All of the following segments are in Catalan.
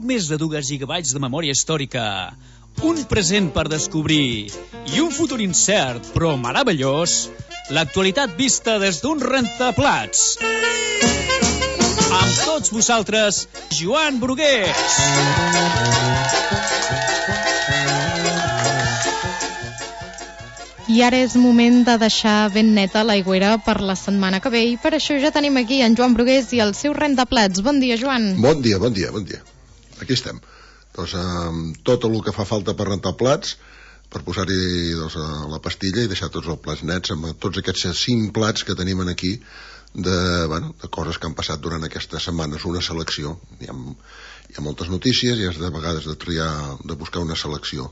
poc més de 2 gigabytes de memòria històrica, un present per descobrir i un futur incert però meravellós, l'actualitat vista des d'un rentaplats. Amb tots vosaltres, Joan Brugués. I ara és moment de deixar ben neta l'aigüera per la setmana que ve i per això ja tenim aquí en Joan Brugués i el seu rentaplats. Bon dia, Joan. Bon dia. Aquí estem. Doncs amb tot el que fa falta per rentar plats, per posar-hi la pastilla i deixar tots els plats nets amb tots aquests 5 plats que tenim aquí de coses que han passat durant aquestes setmanes, una selecció. Hi ha moltes notícies i has de vegades de triar, de buscar una selecció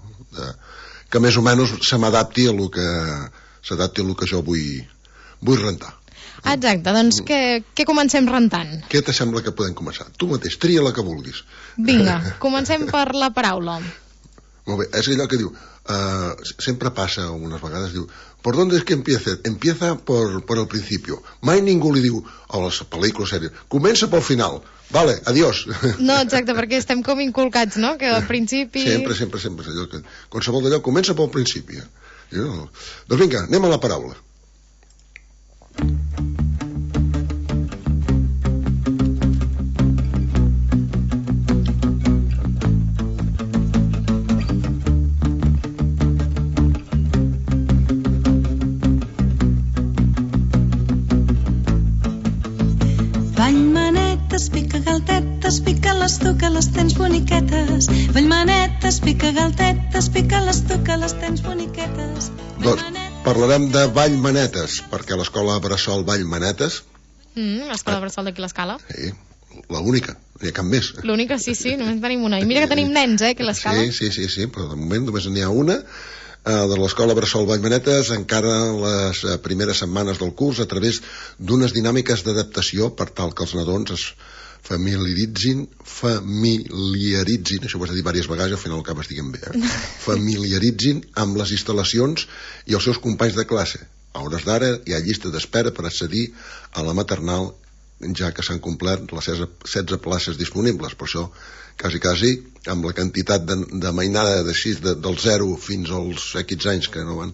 que més o menys se m'adapti a lo que jo vull rentar. Exacte, doncs què comencem rentant? Què te sembla que podem començar? Tu mateix, tria la que vulguis. Vinga, comencem per la paraula. Molt bé, és allò que diu, sempre passa unes vegades, diu, ¿por dónde es que empieza? Empieza por el principio. Mai ningú li diu, a les pel·lícules sèries, comença pel final. Vale, adiós. No, exacte, perquè estem com inculcats, no? Que al principi... Sempre. Allò que, qualsevol d'allò comença pel principi. Doncs vinga, anem a la paraula. Pica galtetes, pica-les tu que les tens boniquetes. Vallmanetes, pica galtetes, pica-les tu que les tens boniquetes. Doncs parlarem de Vallmanetes, perquè l'escola Bressol Vallmanetes... L'escola Bressol d'aquí l'Escala. Sí, l'única, no hi ha cap més. L'única, sí, només tenim una. I mira que tenim nens, aquí a l'Escala. Sí, però de moment només n'hi ha una. De l'escola Bressol Vallmanetes encara les primeres setmanes del curs a través d'unes dinàmiques d'adaptació per tal que els nadons es familiaritzin, això ho has de dir diverses vegades i al final acabes dient bé, familiaritzin amb les instal·lacions i els seus companys de classe. A hores d'ara hi ha llista d'espera per accedir a la maternal, ja que s'han complert les 16 places disponibles. Per això, quasi, amb la quantitat de mainada del 0 fins als X anys que no van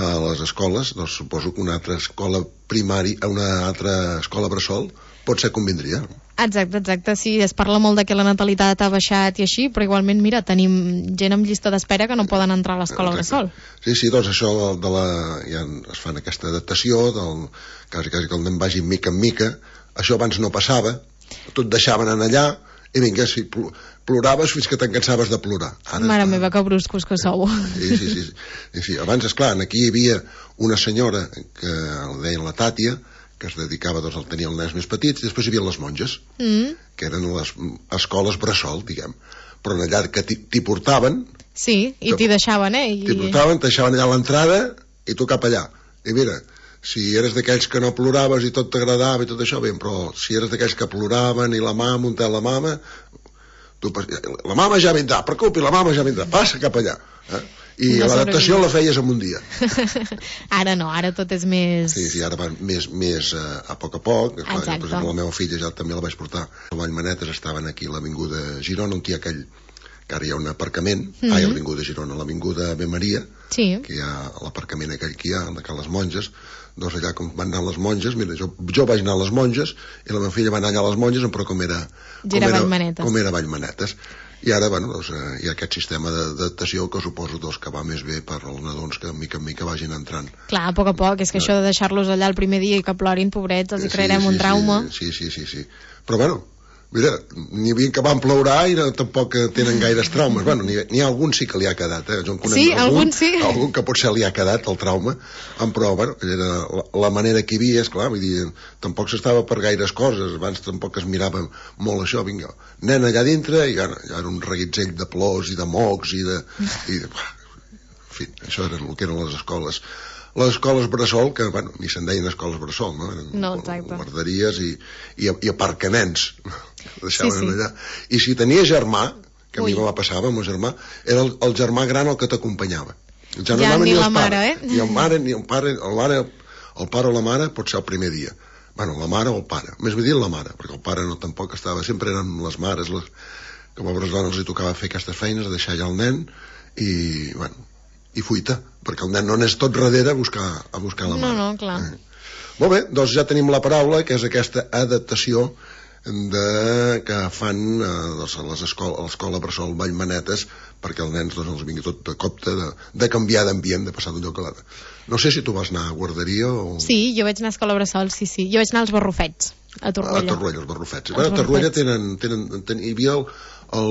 a les escoles, doncs suposo que una altra escola primària, una altra escola bressol potser convindria. Exacte, sí, es parla molt de que la natalitat ha baixat i així, però igualment, mira, tenim gent amb llista d'espera que no poden entrar a l'escola bressol. Sí, doncs això ja es fan aquesta adaptació, quasi que el nen vagi mica en mica. Això abans no passava, tot deixaven anar allà i vinga, si ploraves fins que t'encansaves de plorar. Mare meva, que bruscos que sou. Sí. Abans, esclar, aquí hi havia una senyora que la deien la Tàtia, que es dedicava a tenir els nens més petits, i després hi havia les monges, que eren les escoles bressol, diguem. Però allà que t'hi portaven... Sí, i t'hi deixaven, T'hi portaven, t'hi deixaven allà a l'entrada i tu cap allà. I mira, si eres d'aquells que no ploraves i tot t'agradava i tot això, bé, però si eres d'aquells que ploraven i la mama, un tel la mama, la mama ja vindrà, preocupi, la mama ja vindrà, passa cap allà. I no l'adaptació la feies en un dia. Ara no, ara tot és més... Sí, ara va més a poc. Per exemple, la meva filla ja també la vaig portar. Els Vallmanetes estaven aquí a l'avinguda Girona, on hi ha aquell, que ara hi ha un aparcament, a l'avinguda Girona, a l'avinguda Ave Maria, que hi ha l'aparcament aquell que hi ha, de les monges. Doncs allà com van anar les monges, mira, jo vaig anar a les monges i la meva filla va anar allà a les monges, però com era Vallmanetes. I ara, hi ha aquest sistema d'adaptació que suposo que va més bé per als nadons que mica en mica vagin entrant. Clar, a poc, és que això de deixar-los allà el primer dia i que plorin, pobrets, els hi crearem un trauma. Sí. Però mira, n'hi havia que van plorar i tampoc tenen gaires traumes. N'hi ha algun sí que li ha quedat, Jo en conec algun sí. Algun que potser li ha quedat el trauma, però era la manera que hi havia, esclar, vull dir, tampoc s'estava per gaires coses, abans tampoc es mirava molt això, vinga, nen allà dintre, i ja era un reguitzell de plors i de mocs en fi, això era el que eren les escoles. Les escoles bressol, que, ni se'n deien escoles bressol, no? Eren guarderies i aparcaments. Deixaven allà. I si tenia germà, que a mi me va passar amb el germà, era el germà gran el que t'acompanyava. Ja ni la mare, Ni el mare, ni el pare, el pare o la mare pot ser el primer dia. La mare o el pare. Més bé dir la mare, perquè el pare no tampoc estava, sempre eren les mares, que a pobres dones li tocava fer aquestes feines, deixar allà el nen i, bueno, i fuita, perquè el nen no n'és tot darrere a buscar la mare. No, clar. Molt bé, doncs ja tenim la paraula, que és aquesta adaptació que fan a l'escola Bressol Vallmanetes, perquè els nens doncs, els vingui tot de copte de canviar d'ambient, de passar d'un lloc a l'altre. No sé si tu vas anar a guarderia o... Sí, jo vaig anar a escola Bressol, sí. Jo vaig anar als Barrufets, a Torroella. A Torroella, els Barrufets. A Torroella hi havia a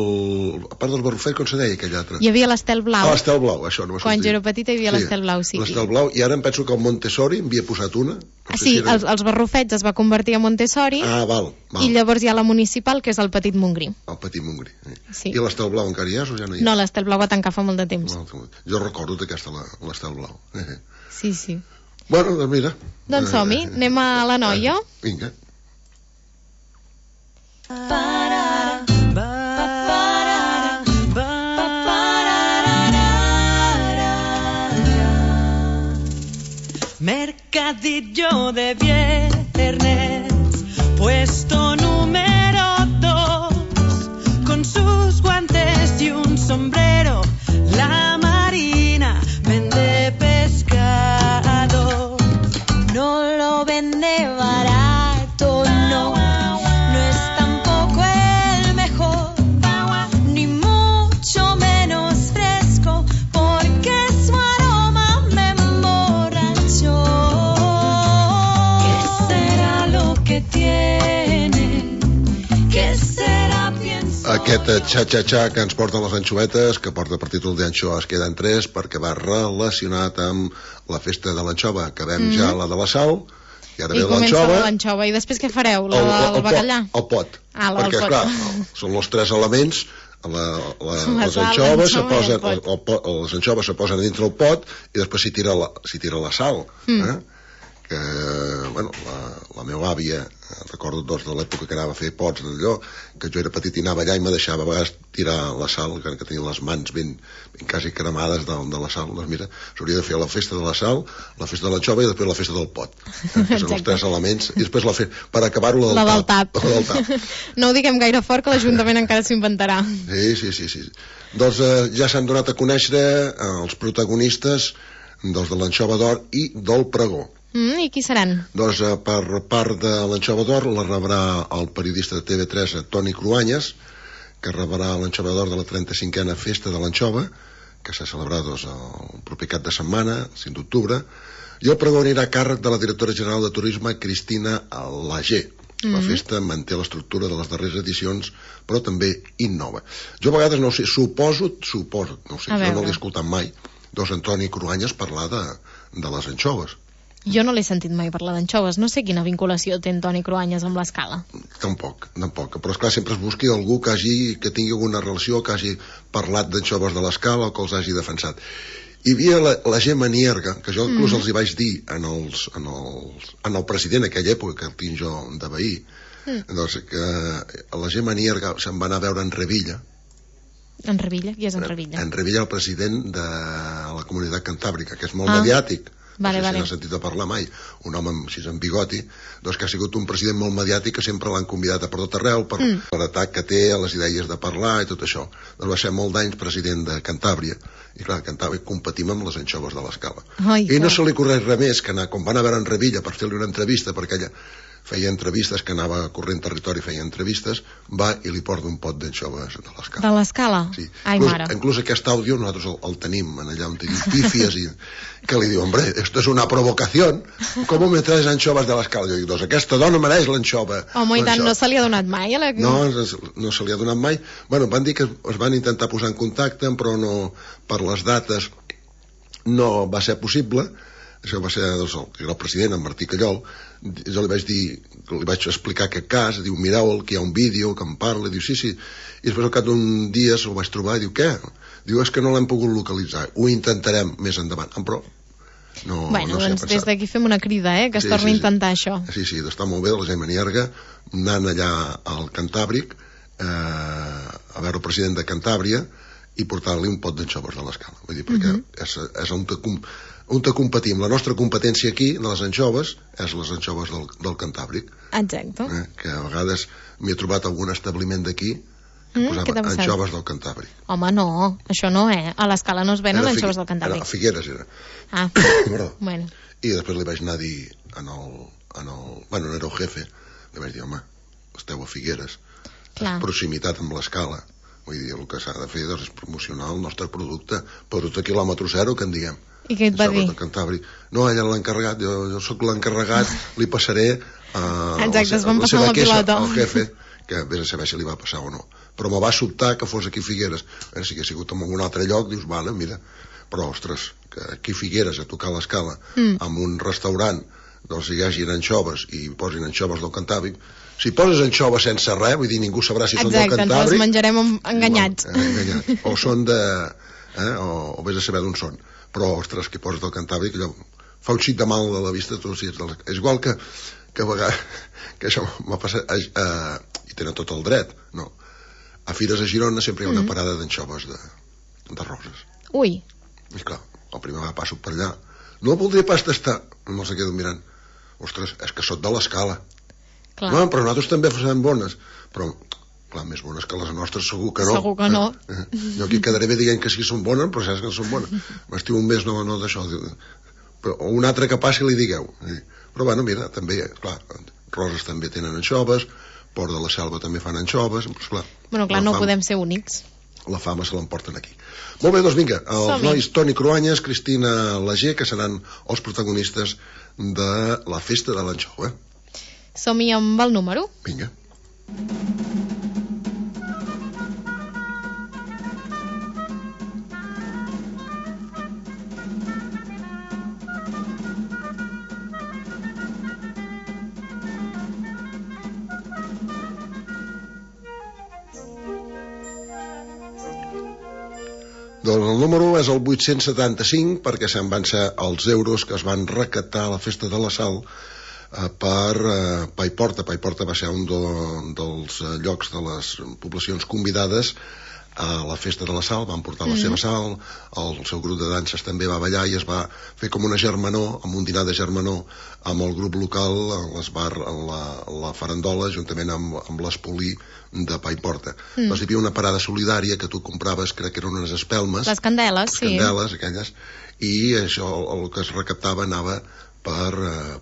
part dels Barrufets, com se deia aquell altre? Hi havia l'Estel Blau. L'Estel Blau, això no m'ha sortit. Quan jo era petita hi havia l'Estel Blau, sí. L'Estel Blau, i ara em penso que el Montessori en havia posat una. Sí, els Barrufets es va convertir en Montessori. Val. I llavors hi ha la municipal, que és el Petit Montgrí. El Petit Montgrí. Sí. I l'Estel Blau encara hi és o ja no hi és? No, l'Estel Blau va tancar fa molt de temps. Jo recordo d'aquesta, l'Estel Blau. Sí. Bueno, doncs mira. Doncs som-hi, anem a la noia. Vinga. Mercadillo de viernes, puesto número 2, con sus guantes y un sombrero, la Marina vende pescado, no lo vende barato, no es tampoco el mejor, ni mucho menos fresco, porque su aroma me emborrachó. ¿Qué será lo que tiene? ¿Qué será? Pienso. Aquest xa-xa-xa que ens porten les anxovetes, que porta per títol d'Anxoves queden 3, perquè va relacionat amb la festa de l'anxova. Acabem ja la de la sal, i ara ve l'anxova. I després què fareu? La del bacallà? El pot. Perquè, clar, són els 3 elements. Les anxoves se posen dintre el pot i després s'hi tira la sal. Que, bueno, la meva àvia, recordo doncs de l'època que anava a fer pots d'allò, que jo era petit i anava allà i me deixava a vegades tirar la sal, que tenia les mans ben quasi cremades de la sal. Doncs mira, s'hauria de fer la festa de la sal, la festa de l'anxova i després la festa del pot, que són els 3 elements, i després per acabar-ho la del tap. No ho diguem gaire fort, que l'Ajuntament encara s'inventarà. Sí. Doncs ja s'han donat a conèixer els protagonistes dels de l'anxova d'or i del pregó. I qui seran? Doncs per part de l'anxova d'or la rebrà el periodista de TV3 Toni Cruanyes, que rebrà l'anxova d'or de la 35a festa de l'anxova, que s'ha celebrat el proper cap de setmana, el 5 d'octubre, i el pregó anirà a càrrec de la directora general de Turisme, Cristina Lager. La festa manté l'estructura de les darreres edicions, però també innova. Jo a vegades no sé, suposo, no sé, jo no l'he escoltat mai, doncs Toni Cruanyes parlar de les anxoves. Jo no l'he sentit mai parlar d'anxoves. No sé quina vinculació té Toni Cruanyes amb l'Escala. Tampoc. Però esclar, sempre es busqui algú que tingui alguna relació, que hagi parlat d'anxoves de l'Escala o que els hagi defensat. Hi havia la Gemma Nierga, que jo inclús els hi vaig dir en el president aquella època, que el tinc jo de veí, doncs que la Gemma Nierga se'n va anar a veure en Revilla. En Revilla? Qui és en Revilla? En Revilla, el president de la Comunitat Cantàbrica, que és molt mediàtic. No sé si n'ha sentit a parlar mai, un home així amb bigoti, doncs que ha sigut un president molt mediàtic, que sempre l'han convidat a per tot arreu per l'atac que té a les idees de parlar i tot això. Doncs va ser molt d'anys president de Cantàbria, i clar, a Cantàbria competim amb les anxoves de l'Escala. I no se li correix res més que anar, com van a veure en Revilla per fer-li una entrevista, perquè ella feia entrevistes, que anava corrent territori, feia entrevistes, va i li porta un pot d'anxoves de l'Escala. De l'Escala? Sí. Ai, mare. Inclús aquest àudio nosaltres el tenim allà on tenim pífies i que li diu, hombre, esto es una provocación, ¿cómo me traes anxoves de l'Escala? Jo dic, doncs aquesta dona mereix l'anxova. Home, i tant, no se li ha donat mai? No se li ha donat mai. Bueno, van dir que es van intentar posar en contacte, però no, per les dates no va ser possible. Això va ser el president, en Martí Callol. Jo li vaig explicar aquest cas, diu, mireu que hi ha un vídeo que em parla, diu, sí, i després al cap d'un dia se'l vaig trobar i diu, què? Diu, és que no l'hem pogut localitzar, ho intentarem més endavant, però no doncs des d'aquí fem una crida, que es torni a intentar això. Sí, està molt bé, la Gemma Nierga anant allà al Cantàbric a veure el president de Cantàbria i portar-li un pot d'anxoves de l'Escala, vull dir, perquè és on competim. La nostra competència aquí, de les anxoves, és les anxoves del Cantàbric. Exacte. Que a vegades m'hi he trobat algun establiment d'aquí Què t'ha posava passat? anxoves del Cantàbric. Home, no, això no, A l'Escala no es venen anxoves del Cantàbric. A Figueres era. Ah, Perdó. bueno. I després li vaig anar a dir bueno, era el jefe, li vaig dir, home, esteu a Figueres, Clar. proximitat amb l'Escala, vull dir, el que s'ha de fer és promocionar el nostre producte quilòmetre zero, que en diguem. I què et va dir? Cantàbric. No, ella l'ha encarregat, jo sóc l'encarregat, li passaré Exacte, es van passar la pilota al jefe, que vés a saber si li va passar o no. Però me va sobtar que fos aquí a Figueres. Si hagués sigut en algun altre lloc, dius, vale, mira, però, ostres, que aquí a Figueres, a tocar l'Escala, amb un restaurant, doncs hi hagin anxoves i posin anxoves del Cantàbric. Si poses anxoves sense res, vull dir, ningú sabrà si són del Cantàbric. Exacte, ens les menjarem enganyats. Enganyats. O són de... o vés a saber d'on són. Però, ostres, que poses del Cantàbric, allò fa un xic de mal a la vista. És igual que a vegades... que això m'ha passat... i tenen tot el dret, no? A Fires a Girona sempre hi ha una parada d'anxoves de roses. Ui. I clar, el primer va passo per allà. No voldria pas tastar. No se quedo mirant. Ostres, és que sóc de l'Escala. Clar. No, però nosaltres també fem bones. Però, clar, més bones que les nostres segur que no. Segur que no. Jo aquí quedaré bé dient que sí que són bones, però saps que no són bones. M'estiu un mes no d'això. O un altre que passi li digueu. Però bueno, mira, també, clar, Roses també tenen anxoves, Port de la Selva també fan anxoves. Doncs, clar, Bueno, clar, no podem ser únics. La fama se l'emporten aquí. Molt bé, doncs vinga, els nois Toni Cruanyes, Cristina Lager, que seran els protagonistes de la festa de l'anxova. Som-hi amb el número? Vinga. Doncs el número és el 875, perquè se'n van ser els euros que es van recaptar a la festa de la Sal per Paiporta. Paiporta va ser un dels llocs de les poblacions convidades a la festa de la Sal, van portar la seva sal, el seu grup de danses també va ballar i es va fer com una germanor, amb un dinar de germanor amb el grup local la farandola, juntament amb l'Espolí de Paiporta. Doncs hi havia una parada solidària que tu compraves, crec que eren unes espelmes, les candeles, sí, candeles aquelles, i això, el que es recaptava anava per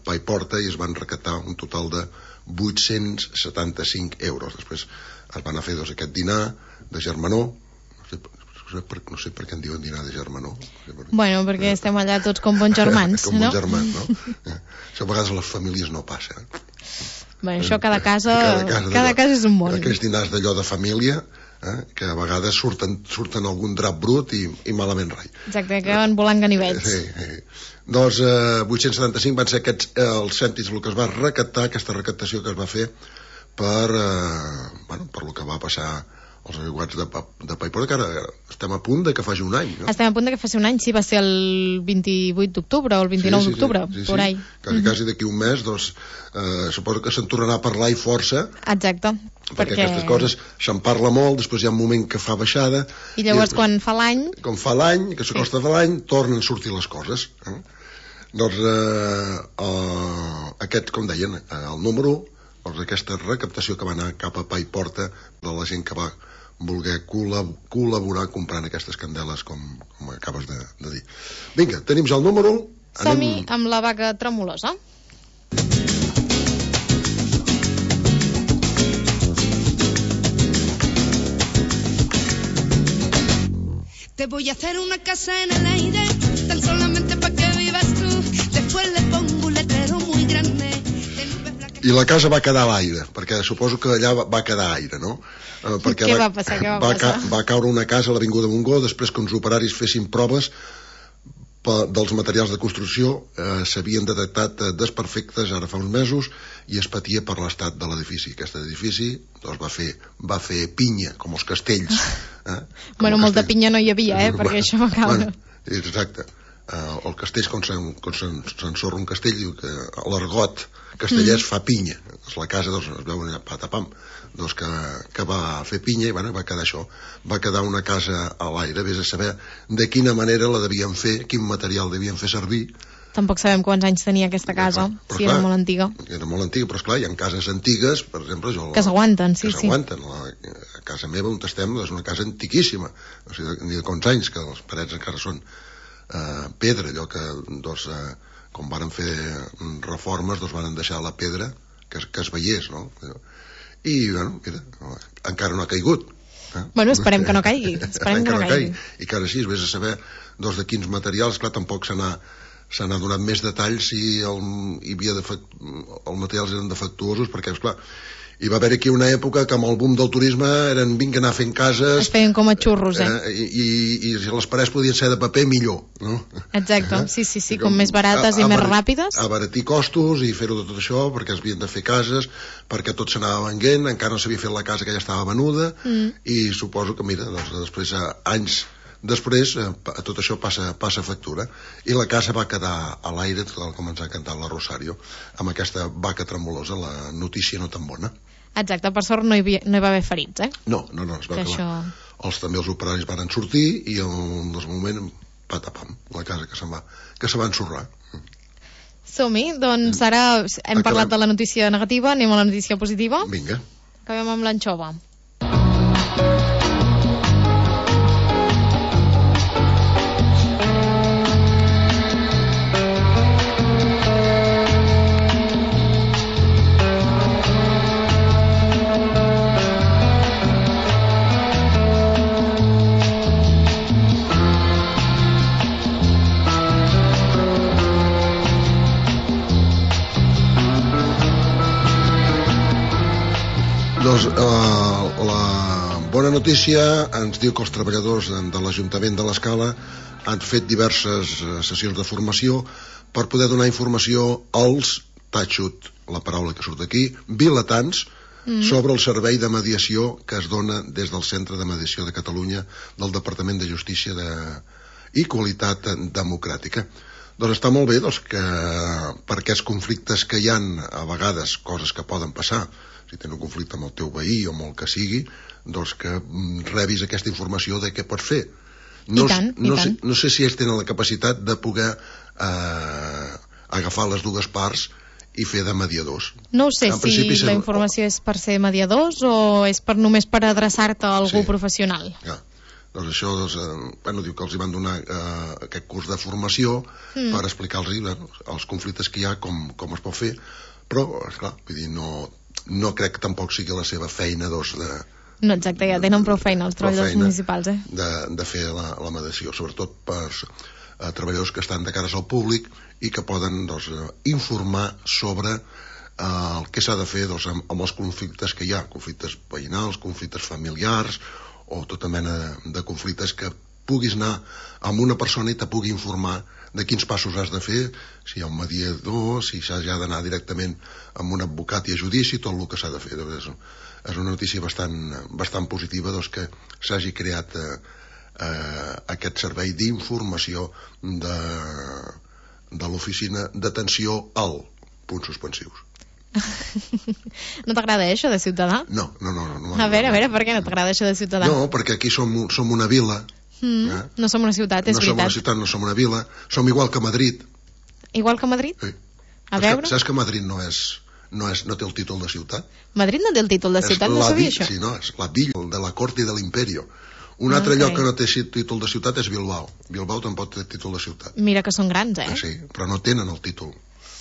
Paiporta i es van recaptar un total de 875 euros. Després es van fer aquest dinar de germanor, no sé per què en diuen dinar de germanor. Bueno, perquè estem allà tots com bons germans, com no? bons germans, no? Això a vegades a les famílies no passa. Bueno, això cada casa és un món. Aquells dinars d'allò de família, que a vegades surten algun drap brut i malament rai. Exacte, que van volant ganivets. Sí. Doncs 875 van ser els cèntims el que es va recaptar, aquesta recaptació que es va fer per el que va passar als aiguats de Paiporta, que ara estem a punt de que faci un any, no? Estem a punt de que faci un any, sí, va ser el 28 d'octubre o el 29 d'octubre, por ahí. Quasi d'aquí un mes, doncs, suposo que se'n tornarà a parlar i força. Exacte. Perquè aquestes coses se'n parla molt, després hi ha un moment que fa baixada. I llavors quan fa l'any... Quan fa l'any, que s'acosta de l'any, tornen a sortir les coses. Doncs aquest, com deien, el número, doncs aquesta recaptació que va anar cap a Paiporta de la gent que va voler col·laborar comprant aquestes candeles com acabes de dir. Vinga, tenim ja el número. Som-hi amb la vaca tremolosa. Te voy a hacer una casa en el aire, tan solamente para que vivas tú. Después le pongo un letrero muy grande. I la casa va quedar a l'aire, perquè suposo que allà va quedar aire, no? Perquè què va passar? Va caure una casa a l'Avinguda Montgó després que uns operaris fessin proves dels materials de construcció, s'havien detectat desperfectes ara fa uns mesos i es patia per l'estat de l'edifici. Aquest edifici doncs, va fer pinya, com els castells. Bueno, molta pinya no hi havia, perquè això va caure. Exacte. El castell, quan s'ensorra un castell, diu que l'argot castellers fa pinya. Doncs la casa es veu allà patapam, doncs que va fer pinya i va quedar això. Va quedar una casa a l'aire, vés a saber de quina manera la devien fer, quin material devien fer servir Tampoc sabem quants anys tenia aquesta casa, si era molt antiga. Era molt antiga, però esclar, hi ha cases antigues, per exemple... Que s'aguanten, sí. Que s'aguanten. A casa meva on estem és una casa antiquíssima, no sé ni de quants anys, que les parets encara són pedra, allò que com varen fer reformes, varen deixar la pedra que es veiés, no? I, bueno, mira, encara no ha caigut. Bueno, esperem que no caigui. Esperem que no caigui. I que ara sí, vés a saber de quins materials, clar, tampoc se n'ha donat més detalls si els materials eren defectuosos, perquè, esclar, hi va haver aquí una època que amb el boom del turisme vinga anar fent cases... Es feien com a xurros, I si les parets podien ser de paper, millor, no? Exacte, sí, com més barates i més ràpides. Abaratir costos i fer-ho de tot això, perquè es havien de fer cases, perquè tot s'anava venguent, encara no s'havia fet la casa que ja estava venuda, i suposo que, mira, després, anys després, tot això passa factura, i la casa va quedar a l'aire, tal com ens ha cantat la Rosario, amb aquesta vaca tremolosa, la notícia no tan bona. Exacte, per sort no hi va haver ferits, No, es va acabar. També els operaris van sortir i en el moment, patapam, la casa que se va ensorrar. Som-hi, doncs ara hem parlat de la notícia negativa, anem a la notícia positiva. Vinga. Acabem amb l'anxova. La bona notícia ens diu que els treballadors de l'Ajuntament de l'Escala han fet diverses sessions de formació per poder donar informació als, tatxut, la paraula que surt aquí, vilatans, sobre el servei de mediació que es dona des del Centre de Mediació de Catalunya del Departament de Justícia i Qualitat Democràtica. Doncs està molt bé que per aquests conflictes que hi ha, a vegades, coses que poden passar, si tens un conflicte amb el teu veí o amb el que sigui, doncs que rebis aquesta informació de què pots fer. No sé si ells tenen la capacitat de poder agafar les dues parts i fer de mediadors. No sé si la informació és per ser mediadors o és només per adreçar-te a algú professional. Doncs això, diu que els van donar aquest curs de formació per explicar-los els conflictes que hi ha, com es pot fer, però, esclar, vull dir, no crec que tampoc sigui la seva feina No, exacte, ja tenen prou feina els treballadors municipals, de fer la mediació, sobretot per treballadors que estan de cares al públic i que poden informar sobre el que s'ha de fer amb els conflictes que hi ha, conflictes veïnals, conflictes familiars o tota mena de conflictes que puguis anar amb una persona i te pugui informar de quins passos has de fer, si hi ha un mediador, si s'ha d'anar directament amb un advocat i a judici, tot el que s'ha de fer. És una notícia bastant positiva que s'hagi creat aquest servei d'informació de l'oficina d'atenció al punts suspensius. No t'agrada això de ciutadà? No. A veure, per què no t'agrada això de ciutadà? No, perquè aquí som una vila. No som una ciutat, és veritat. No som una ciutat, no som una vila. Som igual que Madrid. Igual que Madrid? Sí. A veure? Saps que Madrid no té el títol de ciutat? Madrid no té el títol de ciutat, no sabia això. Sí, no, és la villa de la corte de l'imperio. Un altre lloc que no té títol de ciutat és Bilbao. Bilbao tampoc té títol de ciutat. Mira que són grans, Sí, però no tenen el títol.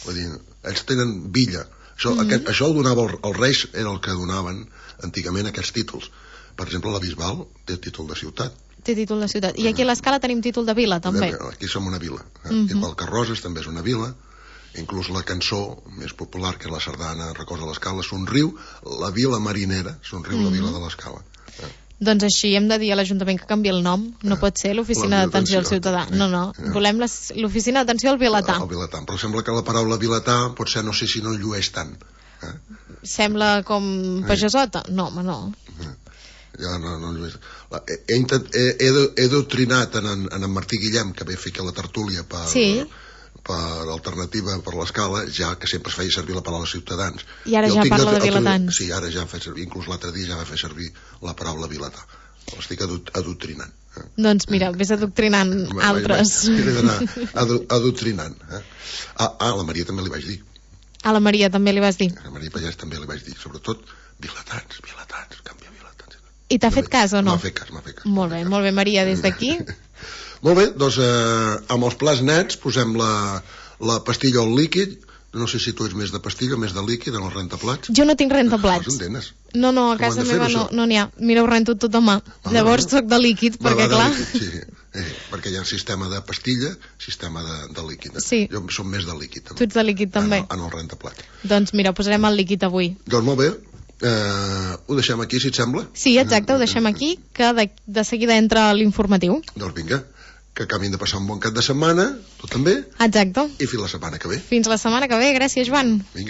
Vull dir, ells tenen villa. Això ho donava els reis, era el que donaven antigament aquests títols. Per exemple, la Bisbal té títol de ciutat. Té títol de ciutat. I aquí a l'Escala tenim títol de vila, també. Aquí som una vila. Igual que Roses també és una vila. Inclús la cançó més popular, que és la sardana Records de l'Escala, Somriu, la vila marinera, Somriu, la vila de l'Escala. Doncs així hem de dir a l'Ajuntament que canvi el nom. No pot ser l'Oficina d'Atenció al Ciutadà. No. Volem l'Oficina d'Atenció al Vilatà. Però sembla que la paraula vilatà potser no sé si no el llueix tant. Sembla com pagesota? No, home, no. Ja no llueix. He doctrinat en en Martí Guillem, que ve a fer la tertúlia per alternativa per l'Escala, ja que sempre es feia servir la paraula ciutadans. I ara ja parla de vilatans. Sí, ara ja fa servir, inclús l'altre dia ja va fer servir la paraula vilatà. l'estic adoctrinant. Doncs mira, vés adoctrinant altres. He d'anar adoctrinant. A la Maria també li vaig dir. A la Maria també li vas dir. A la Maria Pallès també li vaig dir, sobretot vilatans, canvia vilatans. I t'ha fet cas o no? M'ha fet cas. Molt bé, Maria, des d'aquí. Molt bé, doncs amb els plats nets posem la pastilla o el líquid. No sé si tu ets més de pastilla o més de líquid en els rentaplats. Jo no tinc rentaplats. No, a casa meva no n'hi ha. Mira, ho rento tot a mà. Llavors soc de líquid, perquè clar... Sí, perquè hi ha sistema de pastilla, sistema de líquid. Sí. Jo som més de líquid, també. Tu ets de líquid, també. En el rentaplats. Doncs mira, posarem el líquid avui. Doncs molt bé. Ho deixem aquí, si et sembla? Sí, exacte, ho deixem aquí, que de seguida entra l'informatiu. Doncs vinga, que acabin de passar un bon cap de setmana, tu també. Exacte. I fins la setmana que ve. Fins la setmana que ve, gràcies, Joan. Vinga.